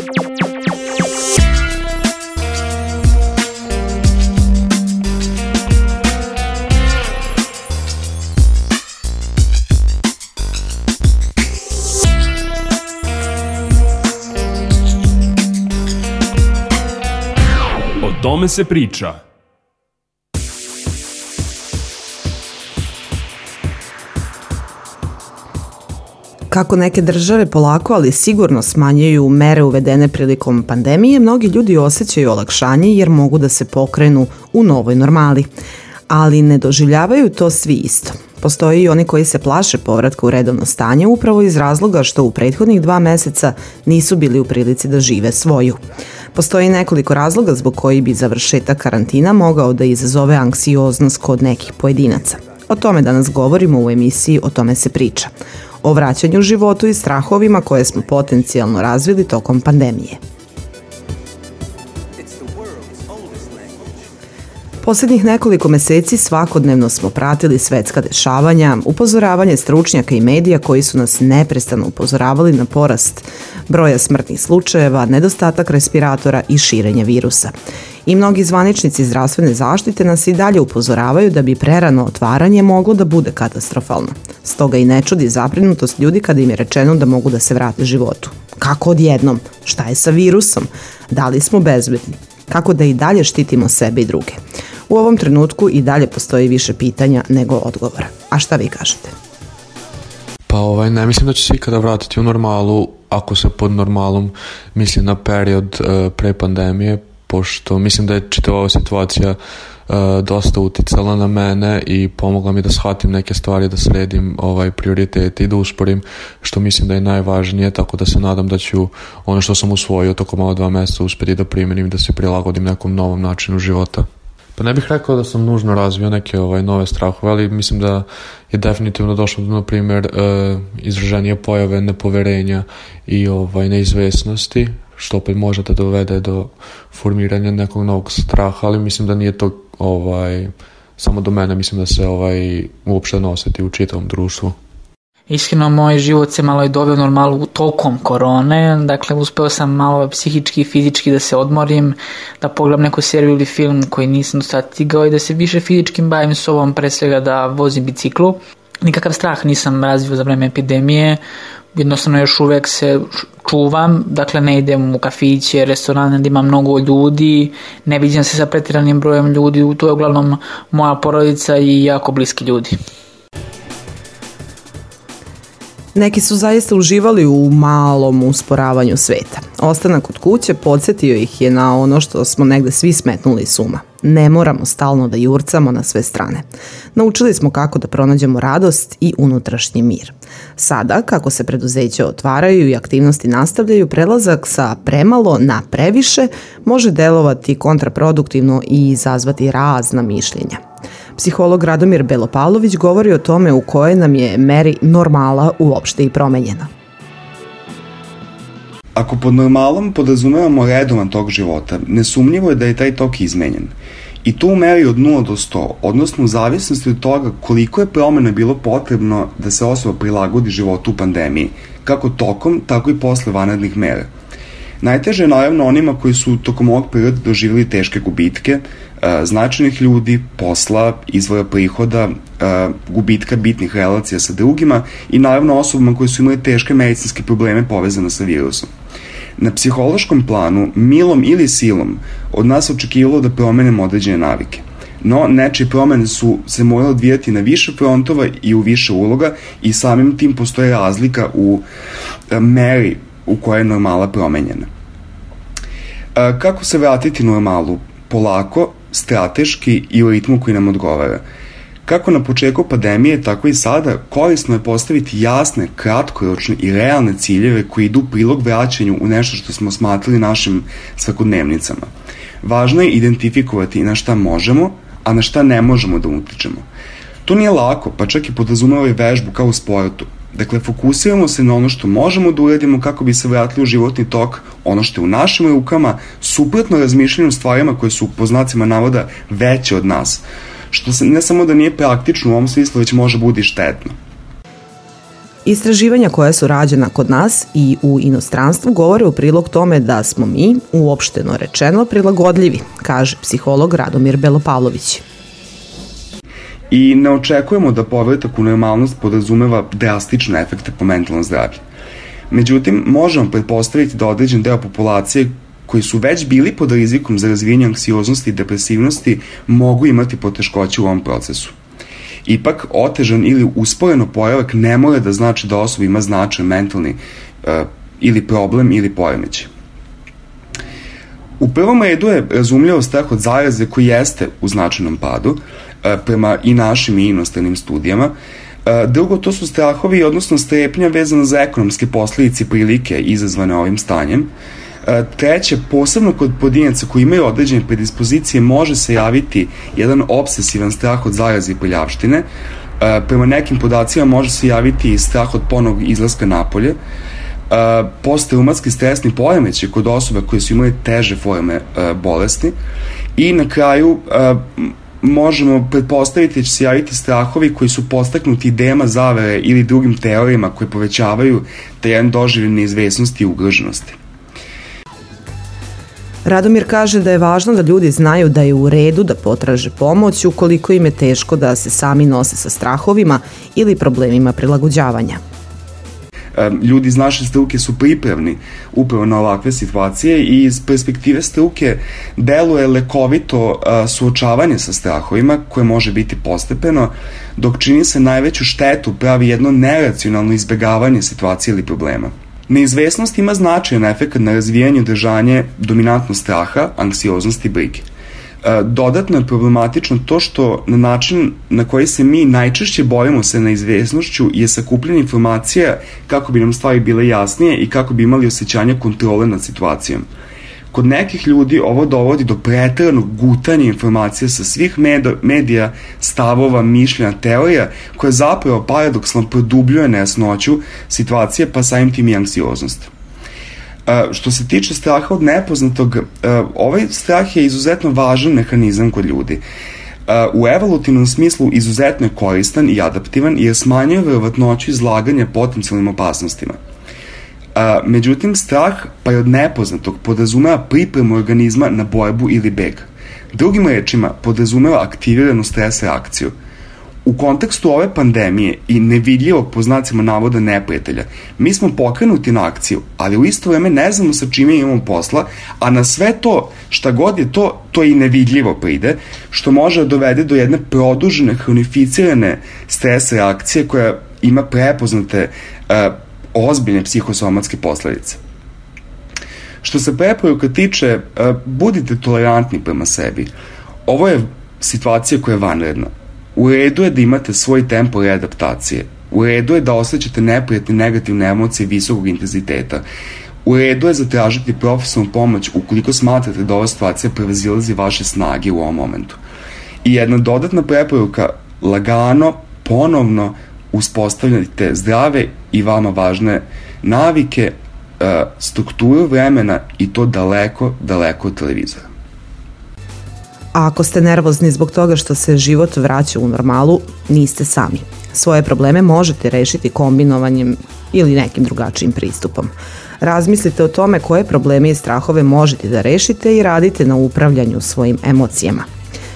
O tome se priča. Kako neke države polako, ali sigurno smanjuju mere uvedene prilikom pandemije, mnogi ljudi osjećaju olakšanje jer mogu da se pokrenu u novoj normali. Ali ne doživljavaju to svi isto. Postoje i oni koji se plaše povratka u redovno stanje upravo iz razloga što u prethodnih 2 meseca nisu bili u prilici da žive svoju. Postoji nekoliko razloga zbog koji bi završetak karantina mogao da izazove anksioznost kod nekih pojedinaca. O tome danas govorimo u emisiji O tome se priča. O vraćanju životu i strahovima koje smo potencijalno razvili tokom pandemije. Poslednjih nekoliko meseci svakodnevno smo pratili svetska dešavanja, upozoravanje stručnjaka i medija koji su nas neprestano upozoravali na porast broja smrtnih slučajeva, nedostatak respiratora i širenje virusa. I mnogi zvaničnici zdravstvene zaštite nas i dalje upozoravaju da bi prerano otvaranje moglo da bude katastrofalno. Stoga i ne čudi zabrinutost ljudi kada im je rečeno da mogu da se vrate životu. Kako odjednom? Šta je sa virusom? Da li smo bezbedni? Kako da i dalje štitimo sebe i druge? U ovom trenutku i dalje postoji više pitanja nego odgovora. A šta vi kažete? Pa ne mislim da će se ikada vratiti u normalu, ako se pod normalom misli na period pre pandemije, pošto mislim da je čitava ova situacija dosta uticala na mene i pomogla mi da shvatim neke stvari, da sredim prioritete i da usporim, što mislim da je najvažnije, tako da se nadam da ću ono što sam usvojio tokom ova 2 meseca uspjeti da primenim i da se prilagodim nekom novom načinu života. Pa ne bih rekao da sam nužno razvio neke nove strahove, ali mislim da je definitivno došlo do, na primjer, izraženije pojave nepoverenja i neizvesnosti, što opet može da dovede do formiranja nekog novog straha, ali mislim da nije to samo do mene, mislim da se uopšte ne osjeti u čitavom društvu. Iskreno, moj život se malo i doveo normalu tokom korone, dakle uspeo sam malo psihički i fizički da se odmorim, da pogledam neku seriju ili film koji nisam do sada stigao i da se više fizičkim bavim sobom, pre svega da vozim biciklu. Nikakav strah nisam razvio za vreme epidemije, jednostavno još uvek se čuvam, dakle ne idem u kafiće, restorane, da ima mnogo ljudi, ne viđam se sa pretjeranim brojem ljudi, to je uglavnom moja porodica i jako bliski ljudi. Neki su zaista uživali u malom usporavanju sveta. Ostanak kod kuće podsjetio ih je na ono što smo negde svi smetnuli s uma. Ne moramo stalno da jurcamo na sve strane. Naučili smo kako da pronađemo radost i unutrašnji mir. Sada, kako se preduzeća otvaraju i aktivnosti nastavljaju, prelazak sa premalo na previše može delovati kontraproduktivno i izazvati razna mišljenja. Psiholog Radomir Belopavlović govori o tome u kojoj nam je meri normala uopšte i promenjena. Ako pod normalom podrazumevamo redovan tok života, nesumnjivo je da je taj tok izmenjen. I to u meri od 0 do 100, odnosno u zavisnosti od toga koliko je promjena bilo potrebno da se osoba prilagodi životu u pandemiji, kako tokom, tako i posle vanrednih mera. Najteže je naravno onima koji su tokom ovog perioda doživjeli teške gubitke, značajnih ljudi, posla, izvora prihoda, gubitka bitnih relacija sa drugima i naravno osobama koji su imali teške medicinske probleme povezane sa virusom. Na psihološkom planu, milom ili silom, od nas očekivalo da promenimo određene navike. No, nečije promene su se morale odvijati na više frontova i u više uloga i samim tim postoje razlika u meri u kojoj je normala promenjena. Kako se vratiti normalu? Polako, strateški i u ritmu koji nam odgovara. Kako na početku pandemije, tako i sada, korisno je postaviti jasne, kratkoročne i realne ciljeve koji idu u prilog vraćanju u nešto što smo smatrali našim svakodnevnicama. Važno je identifikovati na šta možemo, a na šta ne možemo da utičemo. To nije lako, pa čak i podrazumeva i vežbu kao u sportu. Dakle, fokusiramo se na ono što možemo da uradimo kako bi se vratili u životni tok, ono što je u našim rukama, suprotno razmišljanju stvarima koje su po znacima navoda veće od nas, što ne samo da nije praktično u ovom smislu, već može bude i štetno. Istraživanja koja su rađena kod nas i u inostranstvu govore u prilog tome da smo mi, uopšteno rečeno, prilagodljivi, kaže psiholog Radomir Belopavlović. I ne očekujemo da povratak u normalnost podrazumeva drastične efekte po mentalno zdravlje. Međutim, možemo pretpostaviti da određen deo populacije koji su već bili pod rizikom za razvijenje anksioznosti i depresivnosti mogu imati poteškoće u ovom procesu. Ipak, otežan ili usporeno poravak ne mora da znači da osoba ima značajan mentalni ili problem ili poremećaj. U prvom redu je razumljivo strah od zaraze koji jeste u značajnom padu, prema i našim i inostranim studijama. Drugo, to su strahovi, odnosno strepnja vezana za ekonomske posledice i prilike izazvane ovim stanjem. Treće, posebno kod pojedinaca koji imaju određene predispozicije može se javiti jedan obsesivan strah od zaraze i prljavštine. Prema nekim podacima može se javiti i strah od ponovnog izlaska napolje. Postraumatski stresni poremećaj kod osoba koje su imali teže forme bolesti. I na kraju možemo pretpostaviti da će se javiti strahovi koji su podstaknuti idejama zavere ili drugim teorijama koje povećavaju taj jedan doživljaj neizvesnosti i ugroženosti. Radomir kaže da je važno da ljudi znaju da je u redu da potraže pomoć ukoliko im je teško da se sami nose sa strahovima ili problemima prilagođavanja. Ljudi iz naše struke su pripravni upravo na ovakve situacije i iz perspektive struke deluje lekovito suočavanje sa strahovima koje može biti postepeno, dok čini se najveću štetu pravi jedno neracionalno izbegavanje situacije ili problema. Neizvesnost ima značajan efekt na razvijanje i održanje dominantnog straha, anksioznosti i brige. Dodatno je problematično to što na način na koji se mi najčešće borimo sa neizvesnošću je sakupljanje informacija kako bi nam stvari bile jasnije i kako bi imali osjećanje kontrole nad situacijom. Kod nekih ljudi ovo dovodi do preteranog gutanja informacija sa svih medija, stavova, mišljenja, teorija, koja zapravo paradoksalno produbljuje nejasnoću situacije pa samim tim i anksioznost. Što se tiče straha od nepoznatog, ovaj strah je izuzetno važan mehanizam kod ljudi. U evolutivnom smislu izuzetno je koristan i adaptivan jer smanjuje verovatnoću izlaganja potencijalnim opasnostima. Međutim, strah pa i od nepoznatog podrazumeva pripremu organizma na borbu ili beg. Drugim rečima, podrazumeva aktiviranu stres reakciju. U kontekstu ove pandemije i nevidljivog po znacima navoda neprijatelja, mi smo pokrenuti na akciju, ali u isto vreme ne znamo sa čime imamo posla, a na sve to, šta god je to i nevidljivo pride, što može dovede do jedne produžene, hronificirane stres reakcije koja ima prepoznate ozbiljne psihosomatske posledice. Što se preporuka tiče, budite tolerantni prema sebi. Ovo je situacija koja je vanredna. U redu je da imate svoj tempo readaptacije. U redu je da osjećate neprijatne negativne emocije visokog intenziteta. U redu je zatražiti profesionalnu pomoć ukoliko smatrate da ova situacija prevazilazi vaše snage u ovom momentu. I jedna dodatna preporuka, lagano, ponovno uspostavljate zdrave i vama važne navike, strukturu vremena i to daleko, daleko od televizora. A ako ste nervozni zbog toga što se život vraća u normalu, niste sami. Svoje probleme možete rešiti kombinovanjem ili nekim drugačijim pristupom. Razmislite o tome koje probleme i strahove možete da rešite i radite na upravljanju svojim emocijama.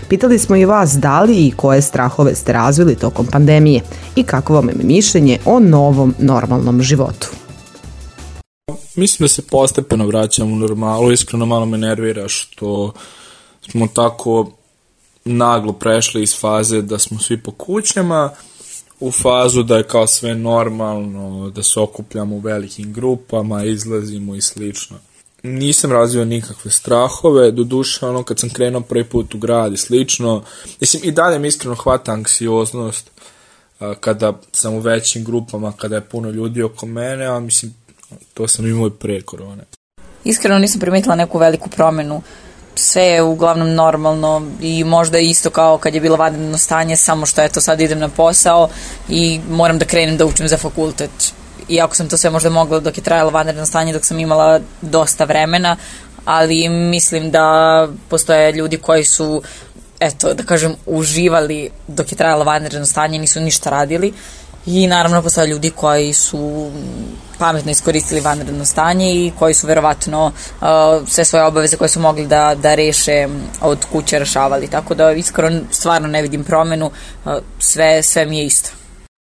Pitali smo i vas da li i koje strahove ste razvili tokom pandemije i kako vam je mišljenje o novom normalnom životu. Mislim da se postepeno vraćam u normalu, iskreno malo me nervira što smo tako naglo prešli iz faze da smo svi po kućama u fazu da je kao sve normalno, da se okupljamo u velikim grupama, izlazimo i slično. Nisam razvio nikakve strahove, doduše kad sam krenuo prvi put u grad i slično, mislim i dalje mi iskreno hvata anksioznost kada sam u većim grupama, kada je puno ljudi oko mene, a mislim to sam imao i pre korone. Iskreno nisam primetila neku veliku promenu, sve je uglavnom normalno i možda isto kao kad je bilo vanredno stanje, samo što eto sad idem na posao i moram da krenem da učim za fakultet. Iako sam to sve možda mogla dok je trajalo vanredno stanje, dok sam imala dosta vremena, ali mislim da postoje ljudi koji su, eto, da kažem, uživali dok je trajalo vanredno stanje, nisu ništa radili I naravno postoje ljudi koji su pametno iskoristili vanredno stanje i koji su verovatno sve svoje obaveze koje su mogli da reše od kuće rešavali. Tako da iskreno stvarno ne vidim promenu, sve mi je isto.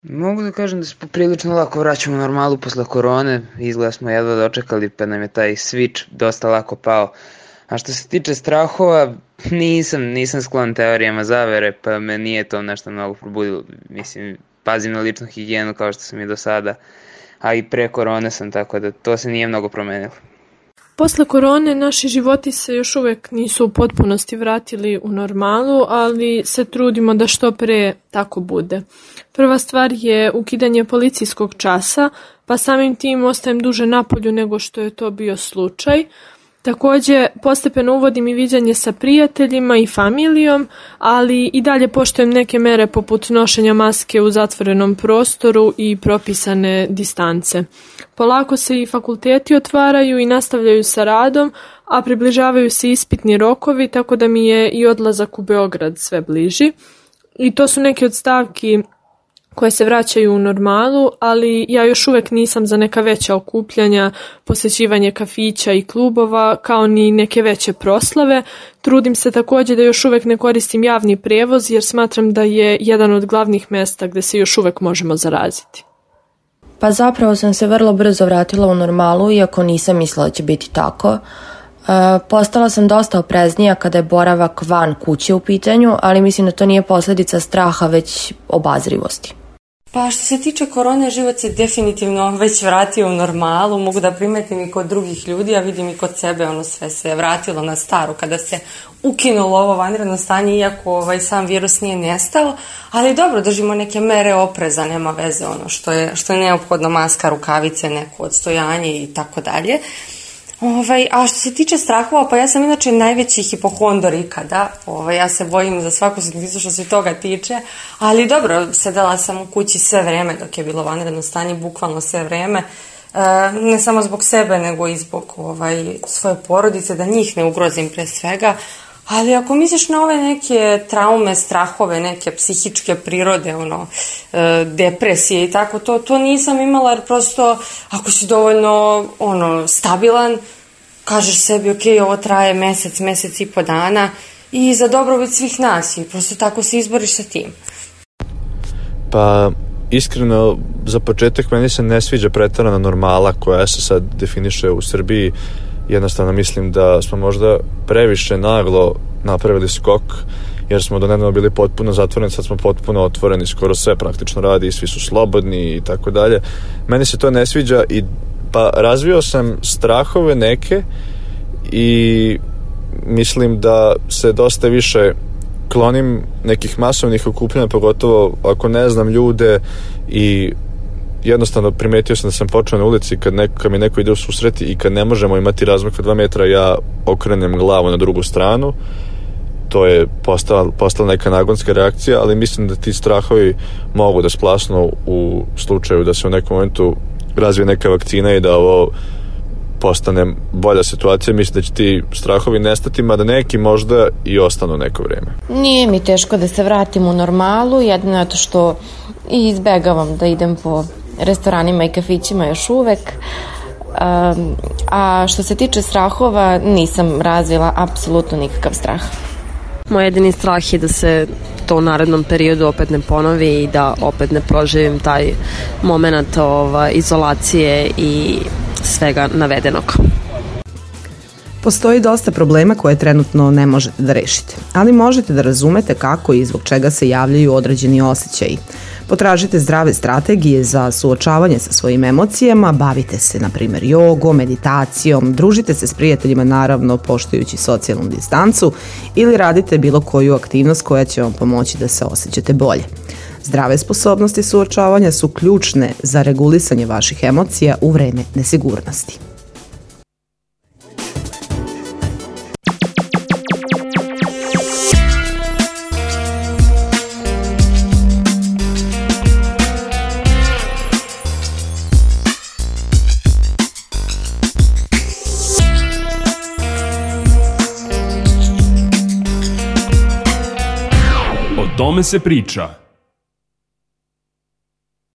Mogu da kažem da se poprilično lako vraćamo u normalu posle korone, izgleda smo jedva dočekali pa nam je taj switch dosta lako pao. A što se tiče strahova, nisam sklon teorijama zavere, pa me nije to nešto mnogo probudilo. Mislim, pazim na ličnu higijenu kao što sam i do sada, a i pre korone sam, tako da to se nije mnogo promenilo. Posle korone naši životi se još uvek nisu u potpunosti vratili u normalu, ali se trudimo da što pre tako bude. Prva stvar je ukidanje policijskog časa, pa samim tim ostajem duže napolju nego što je to bio slučaj. Takođe, postepeno uvodim i viđanje sa prijateljima i familijom, ali i dalje poštujem neke mere poput nošenja maske u zatvorenom prostoru i propisane distance. Polako se i fakulteti otvaraju i nastavljaju sa radom, a približavaju se ispitni rokovi, tako da mi je i odlazak u Beograd sve bliži. I to su neke od stavki koje se vraćaju u normalu, ali ja još uvek nisam za neka veća okupljanja, posećivanje kafića i klubova, kao ni neke veće proslave. Trudim se takođe da još uvek ne koristim javni prevoz, jer smatram da je jedan od glavnih mesta gde se još uvek možemo zaraziti. Pa zapravo sam se vrlo brzo vratila u normalu, iako nisam mislila da će biti tako. Postala sam dosta opreznija kada je boravak van kuće u pitanju, ali mislim da to nije posledica straha, već obazrivosti. Pa što se tiče korone, život se definitivno već vratio u normalu, mogu da primetim i kod drugih ljudi, a vidim i kod sebe, sve se vratilo na staro kada se ukinulo ovo vanredno stanje, iako sam virus nije nestao, ali dobro, držimo neke mere opreza, nema veze što je neophodno, maska, rukavice, neko odstojanje i tako dalje. A što se tiče strahova, pa ja sam inače najveći hipohondor ikada, ja se bojim za svaku sitnicu što se toga tiče, ali dobro, sedela sam u kući sve vreme dok je bilo vanredno stanje, bukvalno sve vreme, ne samo zbog sebe, nego i zbog svoje porodice, da njih ne ugrozim pre svega, ali ako misliš na ove neke traume, strahove, neke psihičke prirode, depresije i tako, to nisam imala, jer prosto ako si dovoljno stabilan, kažeš sebi ok, ovo traje mesec i po dana i za dobrobit svih nas i prosto tako se izboriš sa tim. Pa iskreno, za početak meni se ne sviđa preterana normala koja se sad definiše u Srbiji. Jednostavno mislim da smo možda previše naglo napravili skok, jer smo do nedavno bili potpuno zatvoreni, sad smo potpuno otvoreni, skoro sve praktično radi, svi su slobodni i tako dalje. Meni se to ne sviđa i pa razvio sam strahove neke i mislim da se dosta više klonim nekih masovnih okupljanja, pogotovo ako ne znam ljude, i jednostavno primetio sam da sam počeo na ulici kad mi neko ide u susret i kad ne možemo imati razmak od 2 metra, ja okrenem glavu na drugu stranu. To je postala neka nagonska reakcija, ali mislim da ti strahovi mogu da splasnu u slučaju da se u nekom momentu razvije neka vakcina i da ovo postane bolja situacija. Mislim da će ti strahovi nestati, mada neki možda i ostanu neko vreme. Nije mi teško da se vratim u normalu, jedino je to što izbegavam da idem po restoranima i kafićima još uvek. A što se tiče strahova, nisam razvila apsolutno nikakav strah. Moj jedini strah je da se to u narednom periodu opet ne ponovi i da opet ne proživim taj moment izolacije i svega navedenog. Postoji dosta problema koje trenutno ne možete da rešite, ali možete da razumete kako i zbog čega se javljaju određeni osjećaji. Potražite zdrave strategije za suočavanje sa svojim emocijama, bavite se, na primjer, jogom, meditacijom, družite se s prijateljima, naravno poštujući socijalnu distancu, ili radite bilo koju aktivnost koja će vam pomoći da se osjećate bolje. Zdrave sposobnosti suočavanja su ključne za regulisanje vaših emocija u vreme nesigurnosti. O tome se priča.